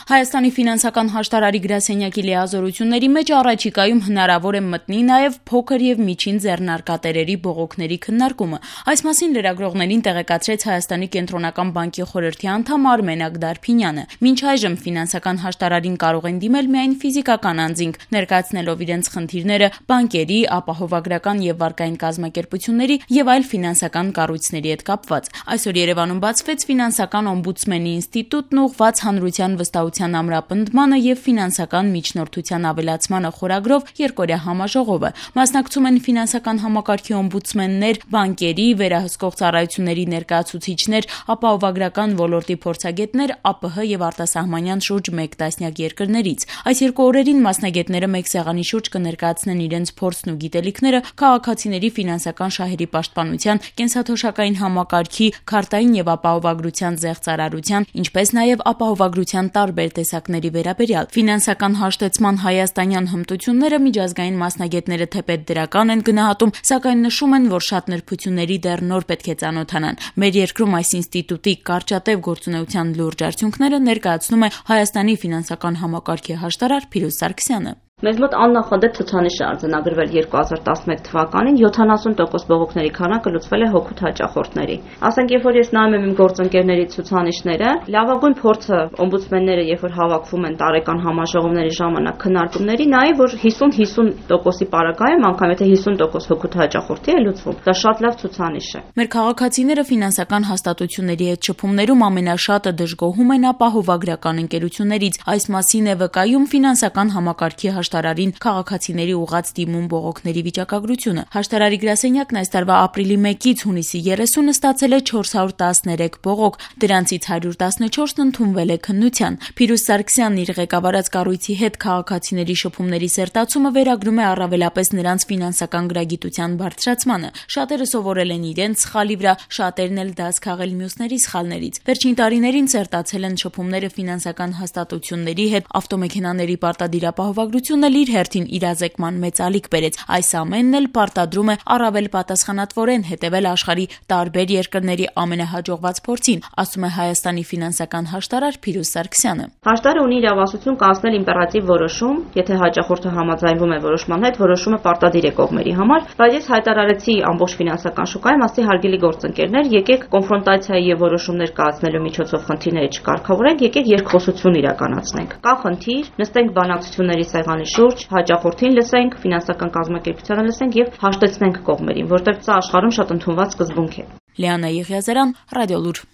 Հայաստանի ֆինանսական հաշտարարի գրասենյակի լիազորությունների մեջ առաջիկայում հնարավոր է մտնի նաև փոքր եւ միջին ձեռնարկատերերի բողոքների քննարկումը։ Այս մասին լրագրողներին տեղեկացրեց Հայաստանի կենտրոնական բանկի խորհրդի անդամ Արմեն Ագդարփինյանը։ Մինչ այժմ ֆինանսական հաշտարարին կարող են դիմել միայն ֆիզիկական անձինք, ներկայացնելով իրենց խնդիրները բանկերի, ապահովագրական եւ վարկային կազմակերպությունների եւ այլ ֆինանսական կառույցների հետ կապված։ Այսօր Երևանում բացվեց ֆինանսական օմբուդսմենի ինստիտուտն ուղղված հանրության վստահության ամրապնդմանը եւ ֆինանսական միջնորդության ավելացմանը խորագրով երկօրյա համաժողովը։ Մասնակցում են ֆինանսական համակարգի օմբուդսմեններ, բանկերի, վերահսկող ծառայությունների ներկայացուցիչներ, ապահովագրական ոլորտի փորձագետներ, ԱՊՀ եւ արտասահմանյան շուրջ 1 տասնյակ երկրներից։ Այս երկու օրերին մասնագետները մեկ սեղանի շուրջ կներկայացնեն իրենց փորձն ու գիտելիքները քաղաքացիների ֆինանսական շահերի պաշտպանության, կենսաթոշակային համակարգի, քարտային եւ ապահովագրության զեղծարարության, ինչպես նաեւ ապահովագրության տարբեր տեսակների վերաբերյալ։ Ֆինանսական հաշտեցման հայաստանյան հմտությունները միջազգային մասնագետները թեպետ դրական են գնահատում, սակայն նշում են, որ շատ նրբությունների դեռ նոր պետք է ծանոթանան։ Մեր երկրում այս ինստիտուտի կարճատև գործունեության լուրջ արդյունքները ներկայացնում է Հայաստանի ֆինանսական համակարգի հաշտարար Փիրուզ Սարգսյանը։ Մեզ մոտ աննախադեպ ցուցանիշ է արձանագրվել 2011 թվականին 70% բողոքների քանակը լուծվել է հօգուտ հաճախորդների։ Ասենք, երբ որ ես նայում եմ իմ գործընկերների ցուցանիշները, լավագույն փորձը օմբուդսմենները, երբ որ հավաքվում են տարեկան համաժողովների ժամանակ քննարկումների, նայի, որ 50-50%-ի պարագայում, անգամ եթե 50% հօգուտ հաճախորդի է լուծվում, դա շատ լավ ցուցանիշ է։ Մեր քաղաքացիները ֆինանսական հաստատությունների հետ շփումներում ամենաշատը դժգոհում են ապահովագրական ընկերություններից։ Այս մասին է վկայում ֆինանսական համակարգի հաշտարարին քաղաքացիների ուղղած դիմում բողոքների վիճակագրությունը։ Հաշտարարի գրասենյակն այս տարվա ապրիլի 1-ից հունիսի 30-ը ստացել է 413 բողոք, դրանցից 114-ն ընդունվել է քննության։ Փիրուզ Սարգսյանն իր ղեկավարած կառույցի հետ քաղաքացիների շփումների սերտացումը վերագրում է առավելապես նրանց ֆինանսական գրագիտության բարձրացմանը։ Շատերը սովորել են իրենց սխալի վրա, շատերն էլ դաս քաղել մյուսների սխալներից։ Վերջին տարիներին սերտացել են շփումները ֆինանսական հաստատությունների հետ, ավտոմեքենաների պարտադիր ապահովագրությունը իր հերթին իրազեկման մեծ ալիք բերեց։ Այս ամենն էլ պարտադրում է առավել պատասխանատվորեն հետևել աշխարհի տարբեր երկրների ամենահաջողված փորձին, ասում է Հայաստանի ֆինանսական հաշտարար Փիրուզ Սարգսյանը։ Հաշտարարը ունի իրավասություն կայացնել իմպերատիվ որոշում, եթե հաճախորդը համաձայնվում է որոշման հետ, որոշումը պարտադիր է կողմերի համար, բայց ես հայտարարեցի ամբողջ ֆինանսական շուկայում, ասի հարգելի գործընկերներ, եկեք կոնֆրոնտացիայի եւ որոշումներ կայացնելու միջոցով խնդիրները չկարգավորենք, եկեք երկխոսություն իրականացնենք։ Կա խնդիր, նստենք բանակցությունների սեղանի շուրջ, հաճախորդին լսենք, ֆինանսական կազմակերպությանը լսենք եւ հաշտեցնենք կողմերին, որտեղ սա աշխարհում շատ ընդունված սկզբունք է։ Լիանա Եղիազարյան, Ռադիոլուր։